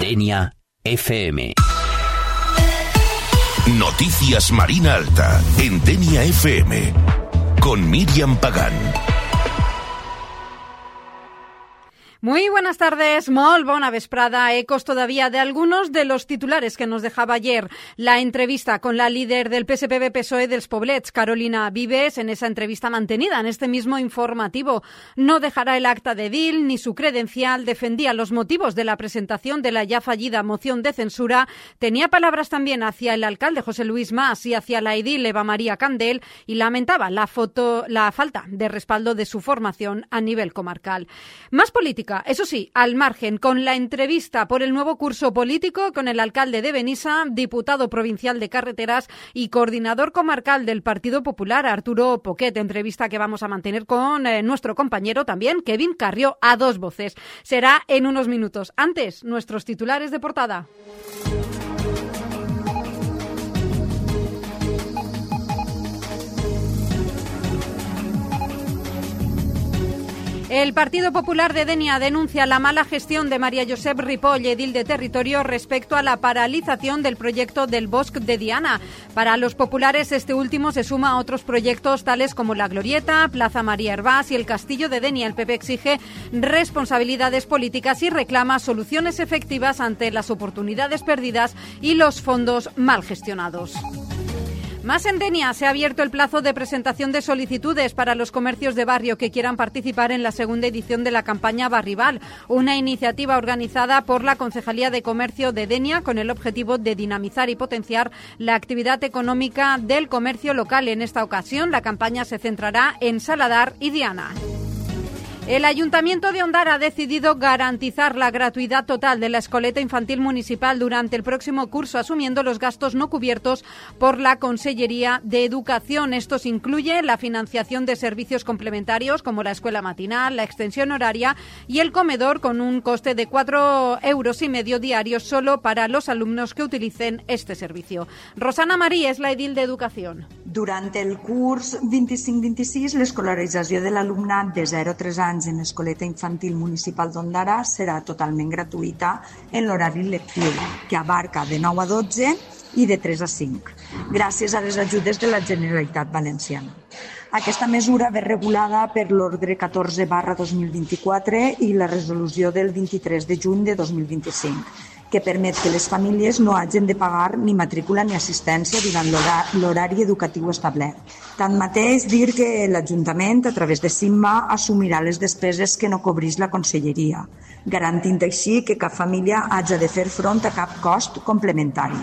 Denia FM. Noticias Marina Alta en Denia FM con Miriam Pagán. Muy buenas tardes, molt bona vesprada. Ecos todavía de algunos de los titulares que nos dejaba ayer la entrevista con la líder del PSPB-PSOE dels Poblets, Carolina Vives. En esa entrevista mantenida en este mismo informativo, no dejará el acta de edil ni su credencial, defendía los motivos de la presentación de la ya fallida moción de censura, tenía palabras también hacia el alcalde José Luis Mas y hacia la edil Eva María Candel y lamentaba la falta de respaldo de su formación a nivel comarcal. Más política. Eso sí, al margen, con la entrevista por el nuevo curso político con el alcalde de Benissa, diputado provincial de Carreteras y coordinador comarcal del Partido Popular, Arturo Poquet, entrevista que vamos a mantener con nuestro compañero también, Kevin Carrió, a dos voces. Será en unos minutos. Antes, nuestros titulares de portada. El Partido Popular de Denia denuncia la mala gestión de María Josep Ripoll, edil de territorio, respecto a la paralización del proyecto del Bosque de Diana. Para los populares, este último se suma a otros proyectos tales como La Glorieta, Plaza María Hervás y el Castillo de Denia. El PP exige responsabilidades políticas y reclama soluciones efectivas ante las oportunidades perdidas y los fondos mal gestionados. Más en Denia, se ha abierto el plazo de presentación de solicitudes para los comercios de barrio que quieran participar en la segunda edición de la campaña Barrival, una iniciativa organizada por la Concejalía de Comercio de Denia con el objetivo de dinamizar y potenciar la actividad económica del comercio local. En esta ocasión, la campaña se centrará en Saladar y Diana. El Ayuntamiento de Ondara ha decidido garantizar la gratuidad total de la escoleta infantil municipal durante el próximo curso, asumiendo los gastos no cubiertos por la Consellería de Educación. Estos incluyen la financiación de servicios complementarios como la escuela matinal, la extensión horaria y el comedor, con un coste de 4,5 € diarios solo para los alumnos que utilicen este servicio. Rosana Marí és la edil d'Educació. Durant el curs 25-26, l'escolarització de l'alumnat de 0 a 3 anys en l'escoleta infantil municipal d'Ondara serà totalment gratuïta en l'horari lectiu, que abarca de 9 a 12 i de 3 a 5, gràcies a les ajudes de la Generalitat Valenciana. Aquesta mesura ve regulada per l'ordre 14/2024 i la resolució del 23 de juny de 2025, que permet que les famílies no hagin de pagar ni matrícula ni assistència durant l'horari educatiu establert. Tanmateix, dir que l'Ajuntament, a través de SIMMA, assumirà les despeses que no cobrís la Conselleria, garantint així que cap família hagi de fer front a cap cost complementari.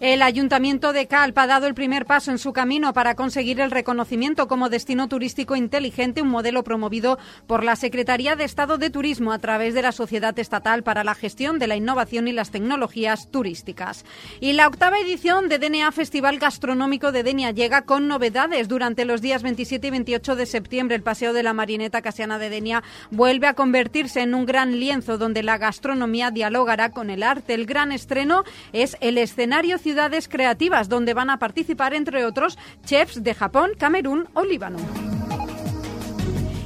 El Ayuntamiento de Calp ha dado el primer paso en su camino para conseguir el reconocimiento como destino turístico inteligente, un modelo promovido por la Secretaría de Estado de Turismo a través de la Sociedad Estatal para la Gestión de la Innovación y las Tecnologías Turísticas. Y la 8ª edición de DNA Festival Gastronómico de Denia llega con novedades. Durante los días 27 y 28 de septiembre, el Paseo de la Marineta Casiana de Denia vuelve a convertirse en un gran lienzo donde la gastronomía dialogará con el arte. El gran estreno es el escenario Ciudades Creativas, donde van a participar, entre otros, chefs de Japón, Camerún o Líbano.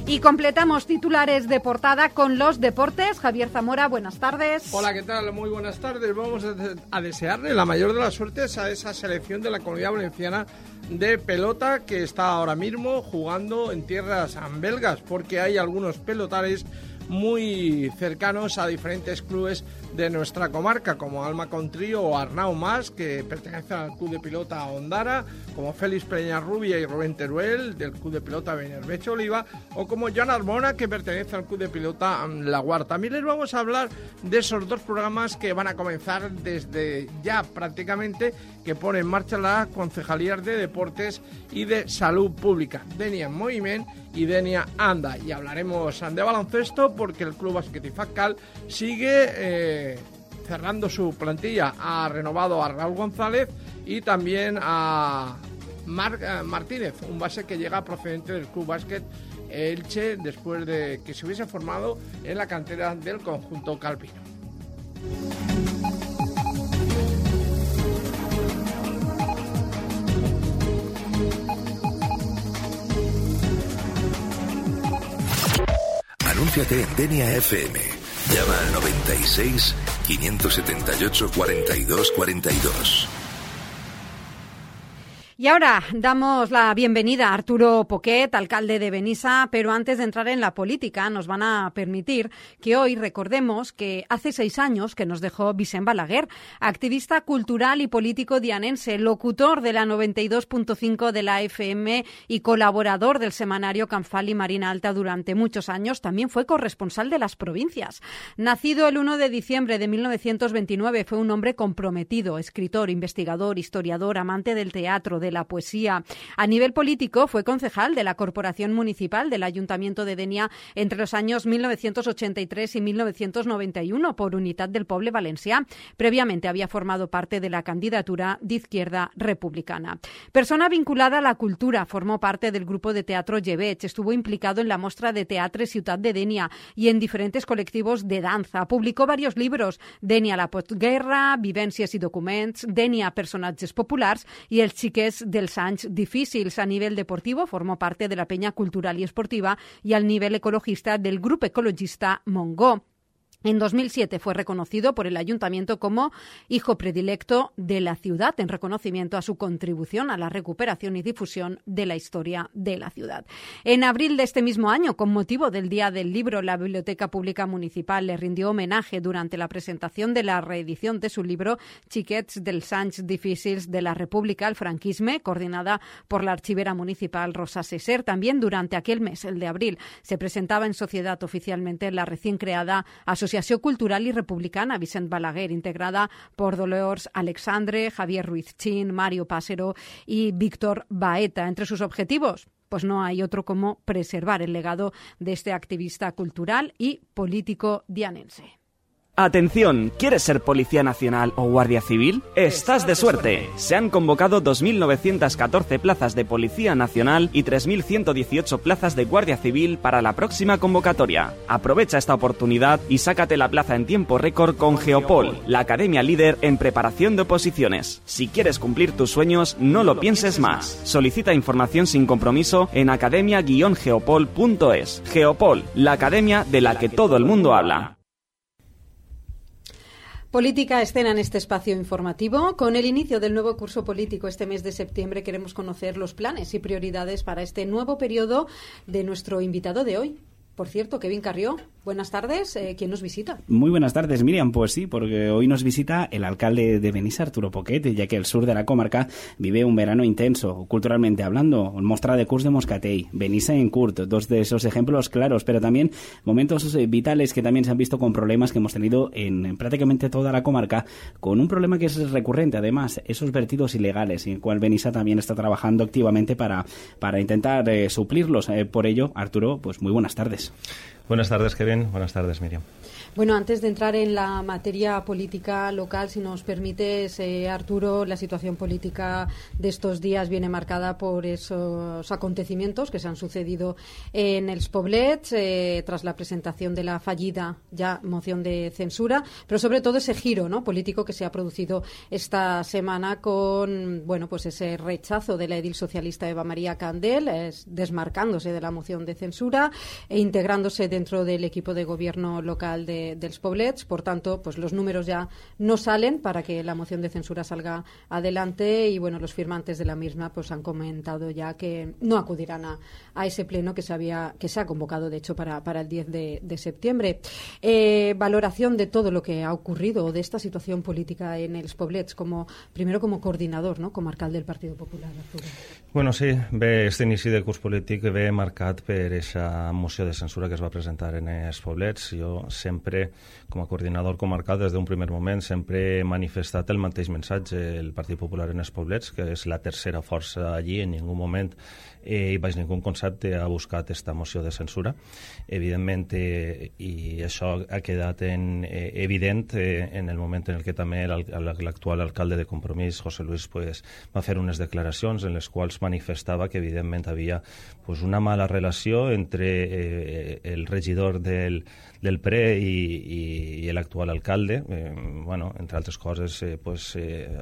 Y completamos titulares de portada con los deportes. Javier Zamora, buenas tardes. Hola, ¿qué tal? Muy buenas tardes. Vamos a desearle la mayor de las suertes a esa selección de la Comunidad Valenciana de pelota que está ahora mismo jugando en tierras belgas, porque hay algunos pelotares muy cercanos a diferentes clubes de nuestra comarca, como Alma Contrío o Arnau Mas, que pertenecen al Club de Pilota Ondara, como Félix Peñarrubia y Rubén Teruel, del Club de Pilota Benerbecho Oliva, o como Joan Arbona, que pertenece al Club de Pilota La Guarda. También les vamos a hablar de esos dos programas que van a comenzar desde ya prácticamente, que pone en marcha la Concejalía de Deportes y de Salud Pública, Denia en Moviment y Denia Anda. Y hablaremos de baloncesto porque el Club Básquet Ifaccal sigue cerrando su plantilla. Ha renovado a Raúl González y también a Marc Martínez, un base que llega procedente del Club Básquet Elche después de que se hubiese formado en la cantera del conjunto calpino. Anúnciate en Denia FM. Llama al 96 578 42 42. Y ahora damos la bienvenida a Arturo Poquet, alcalde de Benissa, pero antes de entrar en la política nos van a permitir que hoy recordemos que hace 6 años que nos dejó Vicent Balaguer, activista cultural y político dianense, locutor de la 92.5 de la FM y colaborador del semanario Canfal y Marina Alta durante muchos años. También fue corresponsal de las provincias. Nacido el 1 de diciembre de 1929, fue un hombre comprometido, escritor, investigador, historiador, amante del teatro, de la poesía. A nivel político fue concejal de la Corporación Municipal del Ayuntamiento de Dénia entre los años 1983 y 1991 por Unitat del Poble Valencià. Previamente había formado parte de la candidatura de Izquierda Republicana. Persona vinculada a la cultura, formó parte del grupo de teatro Llebeig, estuvo implicado en la Mostra de Teatre Ciutat de Dénia y en diferentes colectivos de danza. Publicó varios libros: Dénia la postguerra, Vivències i documents, Dénia personatges populars y Els xiquets dels anys difícils. A nivel deportivo formó parte de la Peña Cultural y Esportiva y al nivel ecologista del Grupo Ecologista Mongó. En 2007 fue reconocido por el Ayuntamiento como hijo predilecto de la ciudad en reconocimiento a su contribución a la recuperación y difusión de la historia de la ciudad. En abril de este mismo año, con motivo del Día del Libro, la Biblioteca Pública Municipal le rindió homenaje durante la presentación de la reedición de su libro Xiquets dels anys difícils de la República al franquisme, coordinada por la archivera municipal Rosa Cesser. También durante aquel mes, el de abril, se presentaba en sociedad oficialmente la recién creada Asociación Cultural y Republicana Vicent Balaguer, integrada por Dolors Alexandre, Javier Ruiz Chin, Mario Pásero y Víctor Baeta. Entre sus objetivos, pues no hay otro como preservar el legado de este activista cultural y político dianense. Atención, ¿quieres ser Policía Nacional o Guardia Civil? ¡Estás de suerte! Se han convocado 2.914 plazas de Policía Nacional y 3.118 plazas de Guardia Civil para la próxima convocatoria. Aprovecha esta oportunidad y sácate la plaza en tiempo récord con Geopol, la academia líder en preparación de oposiciones. Si quieres cumplir tus sueños, no lo pienses más. Solicita información sin compromiso en academia-geopol.es. Geopol, la academia de la que todo el mundo habla. Política escena en este espacio informativo. Con el inicio del nuevo curso político este mes de septiembre queremos conocer los planes y prioridades para este nuevo periodo de nuestro invitado de hoy. Por cierto, Kevin Carrió, buenas tardes. ¿Quién nos visita? Muy buenas tardes, Miriam. Pues sí, porque hoy nos visita el alcalde de Benissa, Arturo Poquet, ya que el sur de la comarca vive un verano intenso, culturalmente hablando. Mostra de curs de Moscatell, Benissa en Curt, dos de esos ejemplos claros, pero también momentos vitales que también se han visto con problemas que hemos tenido en prácticamente toda la comarca, con un problema que es recurrente, además, esos vertidos ilegales, en el cual Benissa también está trabajando activamente para intentar suplirlos. Por ello, Arturo, pues muy buenas tardes. Buenas tardes, Kevin. Buenas tardes, Miriam. Bueno, antes de entrar en la materia política local, si nos permites, Arturo, la situación política de estos días viene marcada por esos acontecimientos que se han sucedido en els Poblets tras la presentación de la fallida ya moción de censura, pero sobre todo ese giro, ¿no?, político que se ha producido esta semana con, bueno, pues ese rechazo de la edil socialista Eva María Candel, desmarcándose de la moción de censura e integrándose dentro del equipo de gobierno local de dels Poblets. Por tanto, pues los números ya no salen para que la moción de censura salga adelante y bueno, los firmantes de la misma pues han comentado ya que no acudirán a ese pleno que se ha convocado de hecho para el 10 de septiembre. Valoración de todo lo que ha ocurrido, de esta situación política en els Poblets, primero como coordinador, ¿no?, comarcal del Partido Popular, Arturo. Bueno, sí, bé, este inici de curs polític ve marcat per aquesta moció de censura que es va presentar en els Poblets. Jo sempre, com a coordinador comarcal, des d'un primer moment, sempre he manifestat el mateix missatge. El Partit Popular en els Poblets, que és la tercera força allí, en ningú moment i baix ningú concepte ha buscat esta moció de censura. Evidentment, i això ha quedat evident en el moment en què també l'actual alcalde de Compromís, José Luis, pues, va fer unes declaracions en les quals manifestava que evidentment havia pues, una mala relació entre el regidor del PRE i i l'actual alcalde, entre altres coses,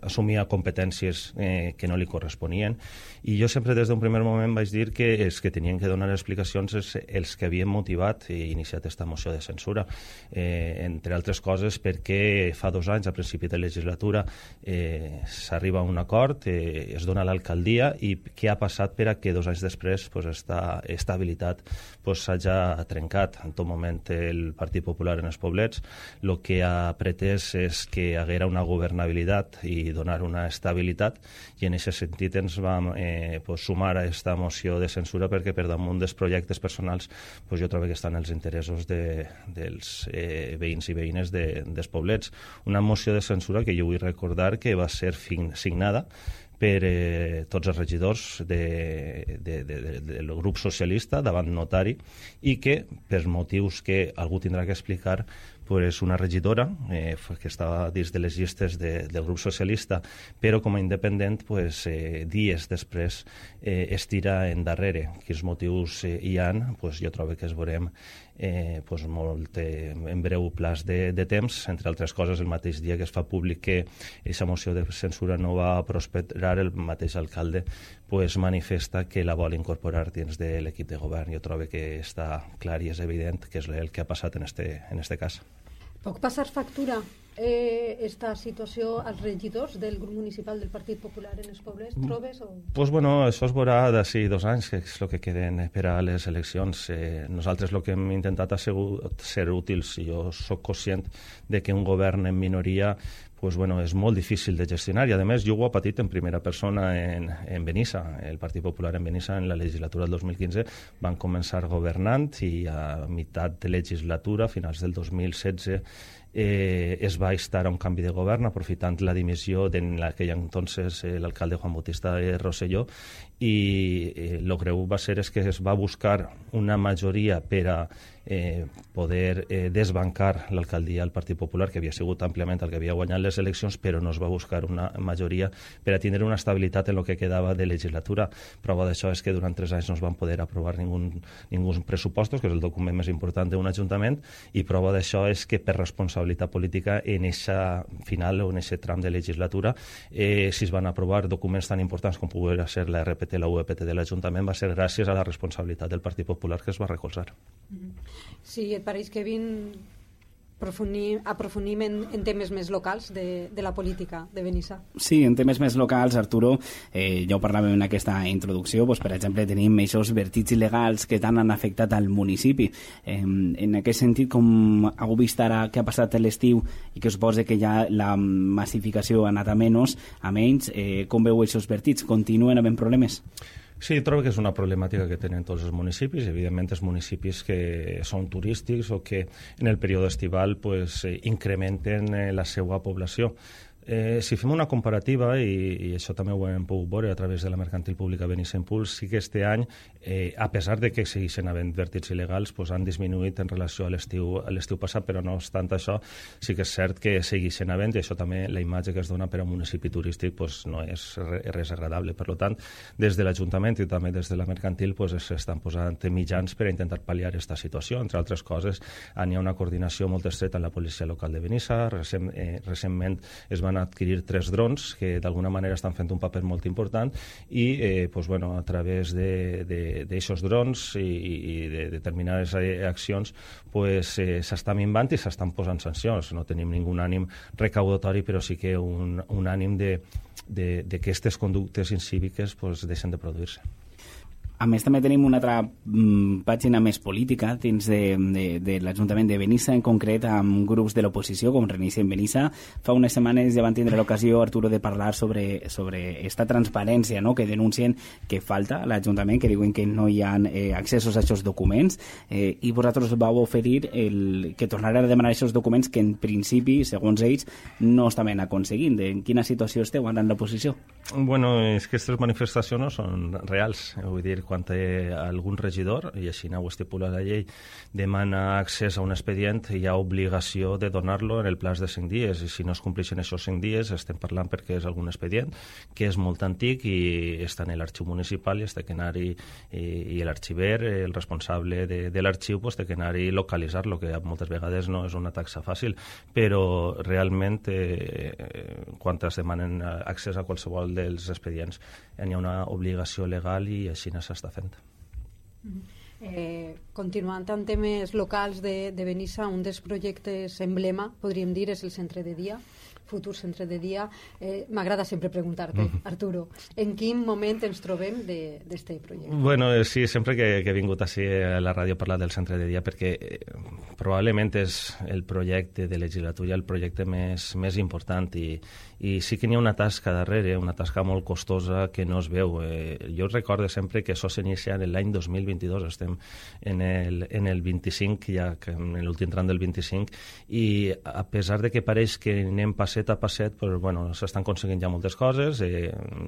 assumia competències que no li corresponien, i jo sempre des d'un primer moment vaig dir que els que tenien que donar explicacions els que havien motivat i iniciat aquesta moció de censura, entre altres coses perquè fa 2 anys, a principi de legislatura, s'arriba a un acord, es dona l'alcaldia, i què ha passat per a que 2 anys després esta habilitat s'hagi trencat. En tot moment el Partit Popular en els poblets el que ha pretès és que haguera una governabilitat i donar una estabilitat, i en aquest sentit ens vam sumar a aquesta moció de censura perquè per damunt dels projectes personals jo trobo que estan els interessos dels veïns i veïnes dels poblets. Una moció de censura que jo vull recordar que va ser signada per tots els regidors del grup socialista davant notari, i que, per motius que algú tindrà que explicar, una regidora que estava dins de les llistes del grup socialista, però com a independent, dies després es tira endarrere. Quins motius hi ha, jo trobo que es veurem molt en breu plaç de temps. Entre altres coses, el mateix dia que es fa públic que aquesta moció de censura no va prosperar, el mateix alcalde manifesta que la vol incorporar dins de l'equip de govern. Jo trobo que està clar i és evident que és el que ha passat en este cas. Puc passar factura esta situació als regidors del grup municipal del Partit Popular en els pobles, trobes? Això es veurà d'ací 2 anys, que és el que queden per a les eleccions. Nosaltres el que hem intentat ha sigut ser útils, i jo soc conscient de que un govern en minoria és molt difícil de gestionar, i a més jo ho he patit en primera persona en Benissa. El Partit Popular en Benissa en la legislatura del 2015 van començar governant, i a meitat de legislatura, a finals del 2016, es va instar a un canvi de govern aprofitant la dimissió d'en aquell entonces l'alcalde Juan Bautista Rosselló, i el greu va ser que es va buscar una majoria per a poder desbancar l'alcaldia del Partit Popular, que havia sigut àmpliament el que havia guanyat les eleccions, però no es va buscar una majoria per a tindre una estabilitat en el que quedava de legislatura. Prova d'això és que durant 3 anys no es van poder aprovar ningú pressupostos, que és el document més important d'un ajuntament, i prova d'això és que per responsabilitat política en eixa final o en aquest tram de legislatura, si es van aprovar documents tan importants com poguera ser la RPT, la UEPT de l'Ajuntament, va ser gràcies a la responsabilitat del Partit Popular que es va recolzar. Sí, et pareix que aprofundim en temes més locals de la política de Benissa? Sí, en temes més locals, Arturo, ja ho parlàvem en aquesta introducció, per exemple, tenim aquests vertigs il·legals que tant han afectat al municipi. En aquest sentit, com heu vist ara que ha passat l'estiu i que es posa que ja la massificació ha anat a menys, com veu aquests vertigs? Continuen havent problemes? Sí, trobo que és una problemàtica que tenen tots els municipis, evidentment els municipis que són turístics o que en el període estival incrementen la seva població. Si fem una comparativa, i això també ho hem pogut veure a través de la mercantil pública Benissa Impuls, sí que este any, a pesar de que segueixen havent vertigs il·legals, han disminuït en relació a l'estiu passat, però no obstant això, sí que és cert que segueixen havent, i això també la imatge que es dona per a un municipi turístic no és res agradable. Per tant, des de l'Ajuntament i també des de la mercantil s'estan posant mitjans per a intentar pal·liar aquesta situació. Entre altres coses, hi ha una coordinació molt estreta amb la policia local de Benissa. Recentment es van adquirir 3 drons que d'alguna manera estan fent un paper molt important, i a través d'aixòs drons i de determinades accions s'està minvant i s'estan posant sancions. No tenim ningú ànim recaudatori, però sí que un ànim de que aquestes conductes incíviques deixen de produir-se. A més, també tenim una altra pàgina més política dins de l'Ajuntament de Benissa, en concret amb grups de l'oposició, com Reiniciem Benissa. Fa unes setmanes ja van tindre l'ocasió, Arturo, de parlar sobre esta transparència, que denuncien que falta a l'Ajuntament, que diuen que no hi ha accessos a aquests documents, i vosaltres vau oferir que tornarà a demanar aquests documents que en principi, segons ells, no estaven aconseguint. En quina situació esteu ara en l'oposició? És que aquestes manifestacions no són reals. Vull dir, quan algun regidor, i així ho estipula la llei, demana accés a un expedient, hi ha obligació de donar-lo en el plaç de 5 dies, i si no es compleixen aquests 5 dies estem parlant perquè és algun expedient que és molt antic i està en l'arxiu municipal i està que anar-hi, i l'arxiver, el responsable de l'arxiu, té que anar-hi i localitzar-lo, que moltes vegades no és una taxa fàcil, però realment quan es demanen accés a qualsevol dels expedients hi ha una obligació legal i així no s'està fent. Continuant amb temes locals de Benissa, un dels projectes emblema, podríem dir, és el centre de dia, futur centre de dia. M'agrada sempre preguntar-te, Arturo, en quin moment ens trobem d'este projecte? Bueno, sí, sempre que he vingut així a la ràdio a parlar del centre de dia, perquè probablement és el projecte de legislatura, el projecte més important, i sí que n'hi ha una tasca darrere, una tasca molt costosa que no es veu. Jo recordo sempre que això s'inicia en l'any 2022, estem en el 25, ja en l'últim tram del 25, i a pesar de que pareix que anem passet a passet, però, bueno, s'estan aconseguint ja moltes coses,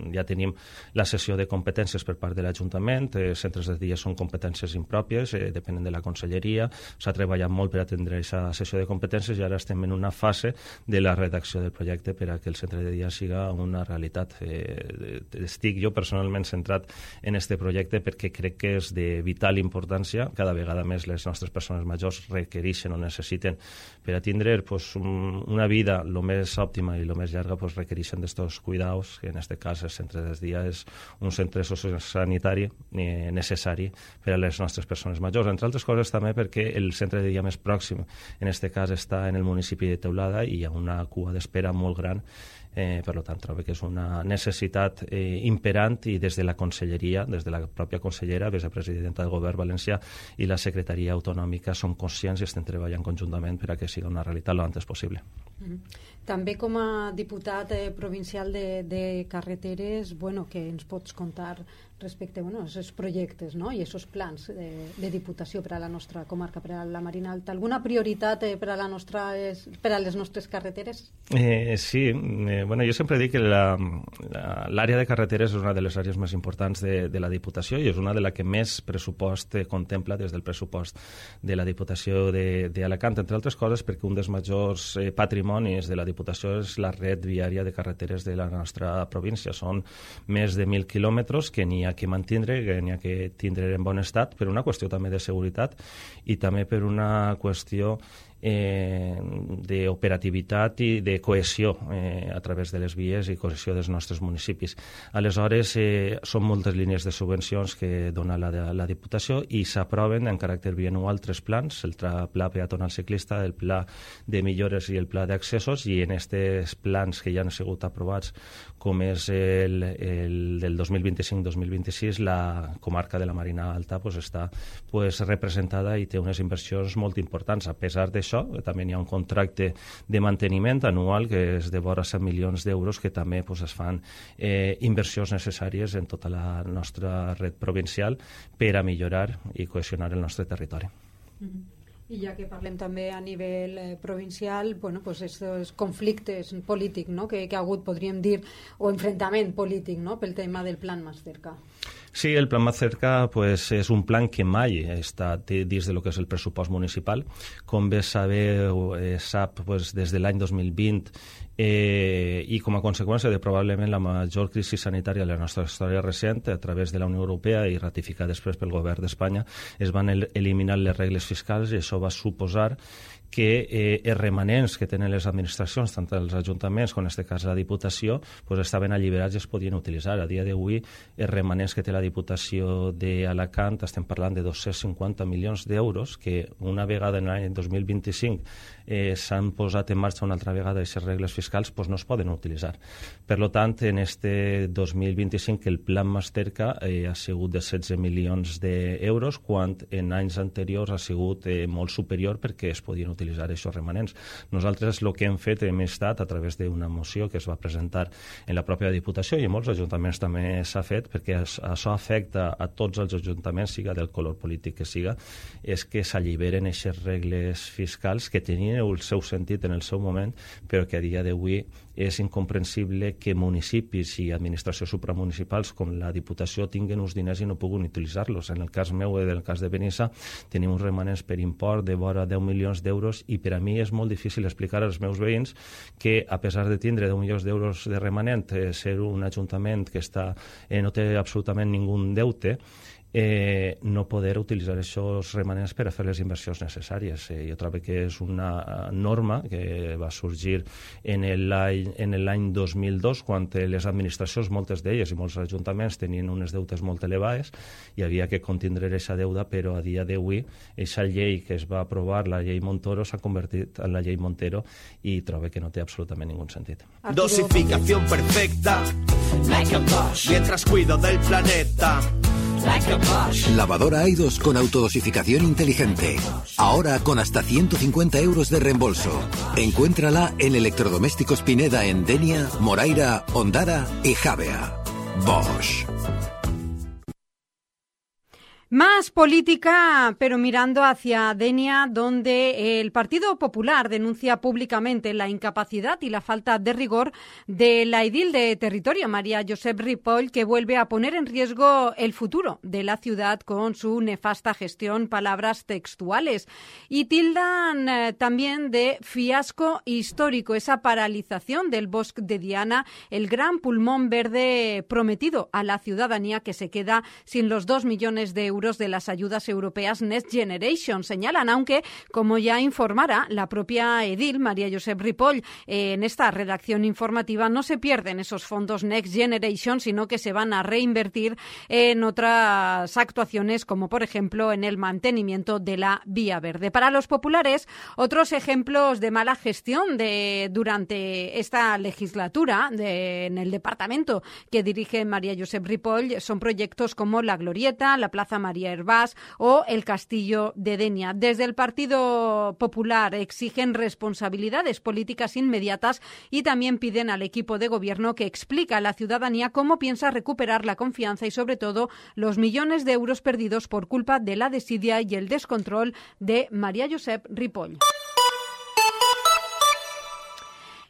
ja tenim la cessió de competències per part de l'Ajuntament, centres de dia són competències impròpies, depenen de la conselleria, s'ha treballat molt per atendre aquesta cessió de competències i ara estem en una fase de la redacció del projecte per a que el centre de dia siga una realitat. Estic jo personalment centrat en este projecte perquè crec que és de vital importància. Cada vegada més les nostres persones majors requereixen o necessiten per a tindre una vida el més òptima i el més llarga, requereixen d'estos cuidados, que en aquest cas el centre de dia és un centre sociosanitari necessari per a les nostres persones majors, entre altres coses també perquè el centre de dia més pròxim en aquest cas està en el municipi de Teulada i hi ha una cua d'espera molt gran. Per tant, trobo que és una necessitat imperant i des de la conselleria, des de la pròpia consellera, vicepresidenta del govern valencià i la secretaria autonòmica som conscients i estem treballant conjuntament per a que sigui una realitat lo antes possible. També com a diputat provincial de carreteres, què ens pots contar respecte a aquests projectes, no? I aquests plans de diputació per a la nostra comarca, per a la Marina Alta? Alguna prioritat per a les nostres carreteres? Sí, jo sempre dic que l'àrea de carreteres és una de les àrees més importants de la Diputació i és una de la que més pressupost contempla des del pressupost de la Diputació d'Alacant, entre altres coses perquè un dels majors patrimonis de la Diputació és la red viària de carreteres de la nostra província. Són més de 1.000 quilòmetres que n'hi ha que mantindre, que n'hi ha que tindre en bon estat per una qüestió també de seguretat i també per una qüestió d'operativitat i de cohesió a través de les vies i cohesió dels nostres municipis. Aleshores, són moltes línies de subvencions que dona la Diputació i s'aproven en caràcter bianual 3 plans, el pla peatonal ciclista, el pla de millores i el pla d'accessos, i en aquests plans que ja han sigut aprovats, com és el del 2025-2026, la comarca de la Marina Alta està representada i té unes inversions molt importants. A pesar d'això, també hi ha un contracte de manteniment anual que és de vora 100 milions d'euros que també es fan inversions necessàries en tota la nostra red provincial per a millorar i cohesionar el nostre territori. I ja que parlem també a nivell provincial, aquests conflictes polítics que ha hagut, podríem dir, o enfrontament polític pel tema del Plan Más Cerca. Sí, el Plan Más Cerca és un plan que mai està dins de lo que és el pressupost municipal. Com bé sap, des de l'any 2020 i com a conseqüència de probablement la major crisi sanitària de la nostra història recent, a través de la Unió Europea i ratificat després pel govern d'Espanya, es van eliminar les regles fiscals i això va suposar que els remanents que tenen les administracions, tant els ajuntaments com en aquest cas la Diputació, estaven alliberats i es podien utilitzar. A dia d'avui, els remanents que té la Diputació d'Alacant, estem parlant de 250 milions d'euros, que una vegada en l'any 2025 s'han posat en marxa una altra vegada aquestes regles fiscals, no es poden utilitzar. Per tant, en este 2025 el Plan Más Cerca ha sigut de 16 milions d'euros, quan en anys anteriors ha sigut molt superior perquè es podien utilitzar utilitzar aquests remanents. Nosaltres el que hem fet hem estat a través d'una moció que es va presentar en la pròpia Diputació i en molts ajuntaments també s'ha fet, perquè això afecta a tots els ajuntaments, siga del color polític que siga, és que s'alliberen aquestes regles fiscals que tenien el seu sentit en el seu moment, però que a dia d'avui és incomprensible que municipis i administracions supramunicipals com la Diputació tinguen uns diners i no puguin utilitzar-los. En el cas meu i en el cas de Benissa tenim uns remanents per import de vora 10 milions d'euros i per a mi és molt difícil explicar als meus veïns que, a pesar de tindre 10 milions d'euros de remanent, ser un ajuntament que no té absolutament ningú deute, no poder utilitzar aquests remanents per a fer les inversions necessàries. Jo trobo que és una norma que va sorgir en l'any 2002, quan les administracions, moltes d'elles i molts ajuntaments, tenien unes deutes molt elevades i havia que contindre aquesta deuda, però a dia d'avui aquesta llei que es va aprovar, la llei Montoro, s'ha convertit en la llei Montero i trobo que no té absolutament ningú sentit. Dosificación perfecta, like a Bosch, mientras cuido del planeta. Like a Bosch. Lavadora Aidos con autodosificación inteligente. Ahora con hasta 150 euros de reembolso. Encuéntrala en Electrodomésticos Pineda en Denia, Moraira, Ondara y Javea. Bosch. Más política, pero mirando hacia Denia, donde el Partido Popular denuncia públicamente la incapacidad y la falta de rigor de la edil de territorio, María Josep Ripoll, que vuelve a poner en riesgo el futuro de la ciudad con su nefasta gestión, palabras textuales. Y tildan también de fiasco histórico esa paralización del Bosque de Diana, el gran pulmón verde prometido a la ciudadanía que se queda sin los 2 millones de euros de las ayudas europeas Next Generation, señalan, aunque, como ya informara la propia edil, María Josep Ripoll, en esta redacción informativa, no se pierden esos fondos Next Generation, sino que se van a reinvertir en otras actuaciones, como por ejemplo en el mantenimiento de la vía verde. Para los populares, otros ejemplos de mala gestión durante esta legislatura en el departamento que dirige María Josep Ripoll son proyectos como la Glorieta, la Plaza María Hervás o el Castillo de Denia. Desde el Partido Popular exigen responsabilidades políticas inmediatas y también piden al equipo de gobierno que explique a la ciudadanía cómo piensa recuperar la confianza y, sobre todo, los millones de euros perdidos por culpa de la desidia y el descontrol de María Josep Ripoll.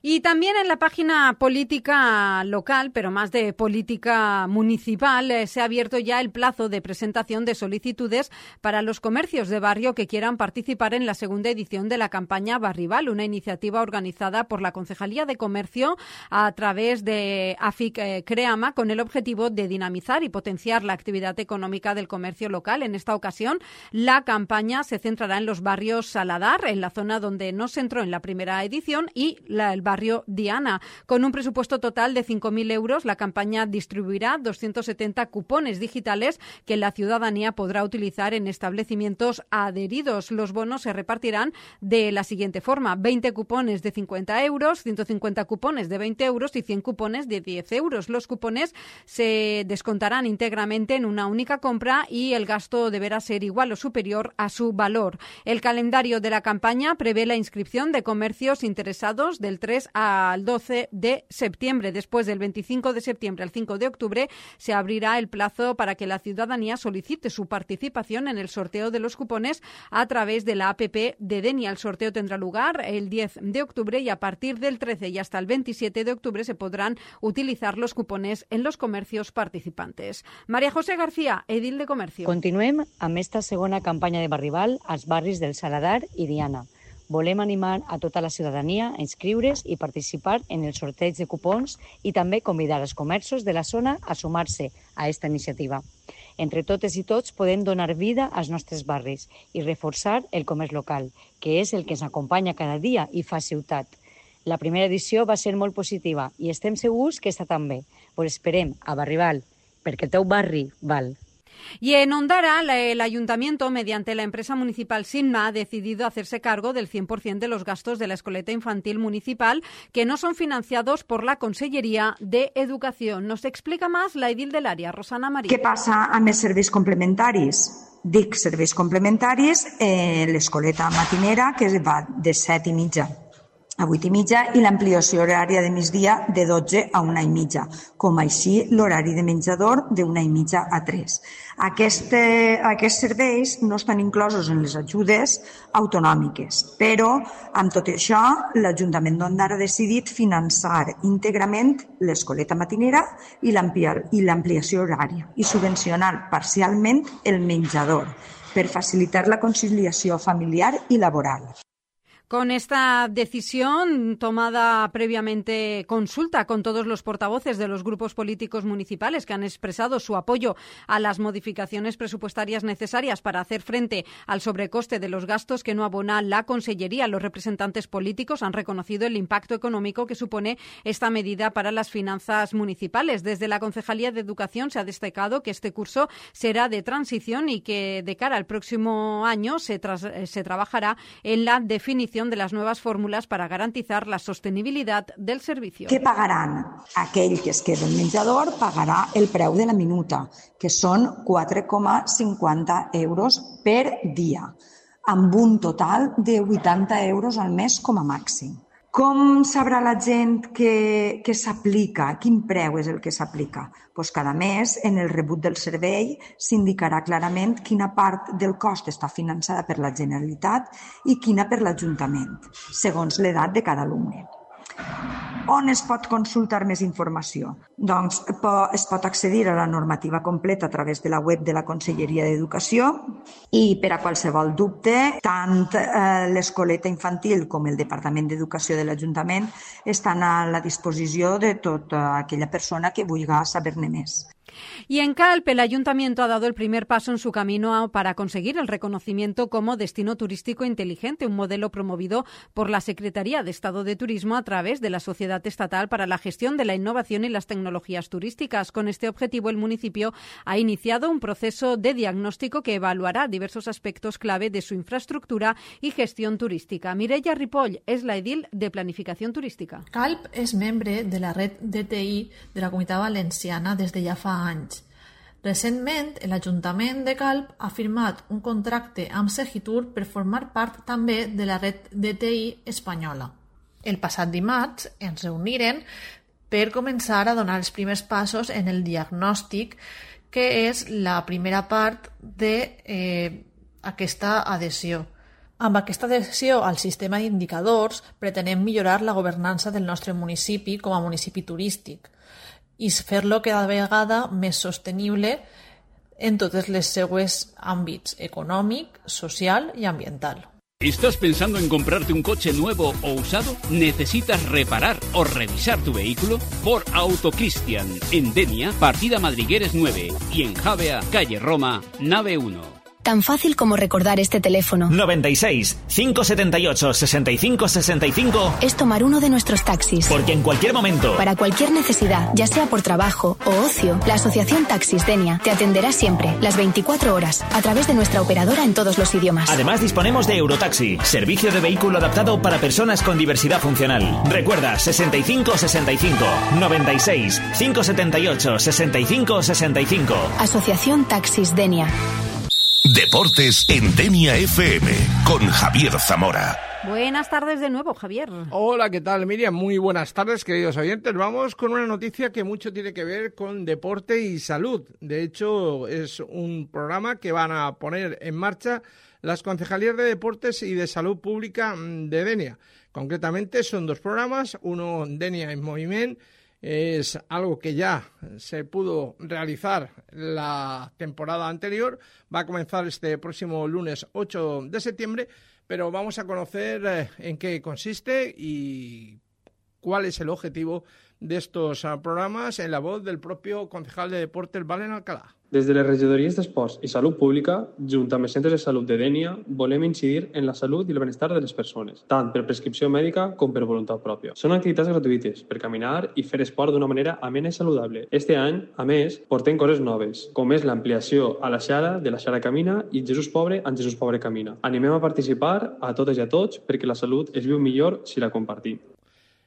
Y también en la página política local, pero más de política municipal, se ha abierto ya el plazo de presentación de solicitudes para los comercios de barrio que quieran participar en la segunda edición de la campaña Barrival, una iniciativa organizada por la Concejalía de Comercio a través de AFIC Creama con el objetivo de dinamizar y potenciar la actividad económica del comercio local. En esta ocasión, la campaña se centrará en los barrios Saladar, en la zona donde no se entró en la primera edición, y el barrio Diana. Con un presupuesto total de 5.000 euros, la campaña distribuirá 270 cupones digitales que la ciudadanía podrá utilizar en establecimientos adheridos. Los bonos se repartirán de la siguiente forma: 20 cupones de 50 euros, 150 cupones de 20 euros y 100 cupones de 10 euros. Los cupones se descontarán íntegramente en una única compra y el gasto deberá ser igual o superior a su valor. El calendario de la campaña prevé la inscripción de comercios interesados del 3 al 12 de septiembre. Después del 25 de septiembre al 5 de octubre se abrirá el plazo para que la ciudadanía solicite su participación en el sorteo de los cupones a través de la APP de Denia. El sorteo tendrá lugar el 10 de octubre y a partir del 13 y hasta el 27 de octubre se podrán utilizar los cupones en los comercios participantes. María José García, edil de Comercio. Continuem amb esta segona campanya de Barrival als barris del Saladar i Diana. Volem animar a tota la ciutadania a inscriure's i participar en el sorteig de cupons i també convidar els comerços de la zona a sumar-se a aquesta iniciativa. Entre totes i tots podem donar vida als nostres barris i reforçar el comerç local, que és el que ens acompanya cada dia i fa ciutat. La primera edició va ser molt positiva i estem segurs que està també. Us esperem a Barrival, perquè el teu barri val. Y en Ondara, el ayuntamiento, mediante la empresa municipal Sigma, ha decidido hacerse cargo del 100% de los gastos de la escoleta infantil municipal que no son financiados por la Conselleria de Educación. Nos explica más la edil del área, Rosana Marí. Què passa amb els serveis complementaris? Dic serveis complementaris, l'escoleta matinera, que va de 7:30 a 8:30, i l'ampliació horària de migdia de 12 a 1:30, com així l'horari de menjador de 1:30 a 3. Aquests serveis no estan inclosos en les ajudes autonòmiques, però amb tot això l'Ajuntament d'Ondara ha decidit finançar íntegrament l'escoleta matinera i l'ampliació horària i subvencionar parcialment el menjador per facilitar la conciliació familiar i laboral. Con esta decisión tomada previamente consulta con todos los portavoces de los grupos políticos municipales que han expresado su apoyo a las modificaciones presupuestarias necesarias para hacer frente al sobrecoste de los gastos que no abona la Consellería, los representantes políticos han reconocido el impacto económico que supone esta medida para las finanzas municipales. Desde la Concejalía de Educación se ha destacado que este curso será de transición y que de cara al próximo año se trabajará en la definición de las nuevas fórmulas para garantizar la sostenibilidad del servicio. Què pagaran? Aquell que es queda en menjador pagarà el preu de la minuta, que són 4,50 euros per dia, amb un total de 80 euros al mes com a màxim. Com sabrà la gent que s'aplica? Quin preu és el que s'aplica? Doncs cada mes, en el rebut del servei, s'indicarà clarament quina part del cost està finançada per la Generalitat i quina per l'Ajuntament, segons l'edat de cada alumne. On es pot consultar més informació? Doncs es pot accedir a la normativa completa a través de la web de la Conselleria d'Educació i per a qualsevol dubte, tant l'escoleta infantil com el Departament d'Educació de l'Ajuntament estan a la disposició de tota aquella persona que vulgui saber-ne més. Y en Calp, el Ayuntamiento ha dado el primer paso en su camino para conseguir el reconocimiento como destino turístico inteligente, un modelo promovido por la Secretaría de Estado de Turismo a través de la Sociedad Estatal para la Gestión de la Innovación y las Tecnologías Turísticas. Con este objetivo, el municipio ha iniciado un proceso de diagnóstico que evaluará diversos aspectos clave de su infraestructura y gestión turística. Mireia Ripoll és la edil de Planificació Turística. Calp és membre de la red DTI de la Comunitat Valenciana des de ja fa anys. Recentment, l'Ajuntament de Calp ha firmat un contracte amb Segitur per formar part també de la red DTI espanyola. El passat dimarts ens reuniren per començar a donar els primers passos en el diagnòstic, que és la primera part d'aquesta adhesió. Amb aquesta adhesió al sistema d'indicadors pretenem millorar la governança del nostre municipi com a municipi turístic i fer-lo cada vegada més sostenible en totes les seues àmbits econòmic, social i ambiental. ¿Estás pensando en comprarte un coche nuevo o usado? ¿Necesitas reparar o revisar tu vehículo? Por Autocristian, en Denia, partida Madrigueres 9 y en Javea, calle Roma, nave 1. Tan fácil como recordar este teléfono. 96 578 65 65 es tomar uno de nuestros taxis. Porque en cualquier momento, para cualquier necesidad, ya sea por trabajo o ocio, la Asociación Taxis Denia te atenderá siempre, las 24 horas, a través de nuestra operadora en todos los idiomas. Además, disponemos de Eurotaxi, servicio de vehículo adaptado para personas con diversidad funcional. Recuerda, 65 65 96 578 65 65. Asociación Taxis Denia. Deportes en Denia FM con Javier Zamora. Buenas tardes de nuevo, Javier. Hola, ¿qué tal, Miriam? Muy buenas tardes, queridos oyentes. Vamos con una noticia que mucho tiene que ver con deporte y salud. De hecho, es un programa que van a poner en marcha las Concejalías de Deportes y de Salud Pública de Denia. Concretamente, son dos programas, uno Denia en Moviment. Es algo que ya se pudo realizar la temporada anterior. Va a comenzar este próximo lunes 8 de septiembre, pero vamos a conocer en qué consiste y cuál es el objetivo de estos programas en la voz del propio concejal de Deportes, Valen Alcalá. Des de les regidories d'Esports i Salut Pública, junt amb els centres de salut de Dénia, volem incidir en la salut i el benestar de les persones, tant per prescripció mèdica com per voluntat pròpia. Són activitats gratuïtes per caminar i fer esport d'una manera amena i saludable. Este any, a més, portem coses noves, com és l'ampliació a la Xara de la Xara Camina i Jesús Pobre en Jesús Pobre Camina. Animem a participar a totes i a tots perquè la salut es viu millor si la compartim.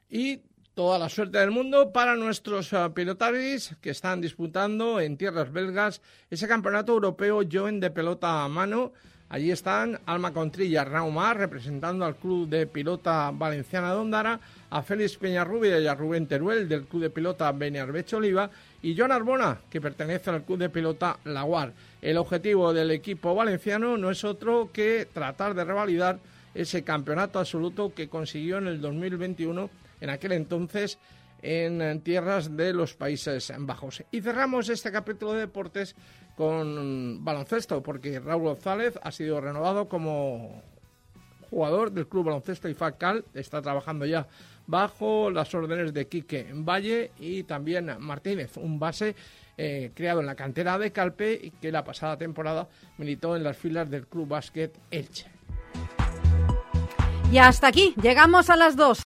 Y toda la suerte del mundo para nuestros pilotaris que están disputando en tierras belgas ese campeonato europeo joven de pelota a mano. Allí están Alma Contrilla, Raumar, representando al Club de Pilota Valenciana de Ondara, a Félix Peñarrubia y a Rubén Teruel del Club de Pilota Beniarbecho Oliva y Joan Arbona, que pertenece al Club de Pilota Laguar. El objetivo del equipo valenciano no es otro que tratar de revalidar ese campeonato absoluto que consiguió en el 2021, en aquel entonces en tierras de los Países Bajos. Y cerramos este capítulo de deportes con baloncesto, porque Raúl González ha sido renovado como jugador del Club Baloncesto IFAC-Cal, está trabajando ya bajo las órdenes de Quique Valle y también Martínez, un base creado en la cantera de Calpe y que la pasada temporada militó en las filas del Club Básquet Elche. Y hasta aquí, llegamos a las 2.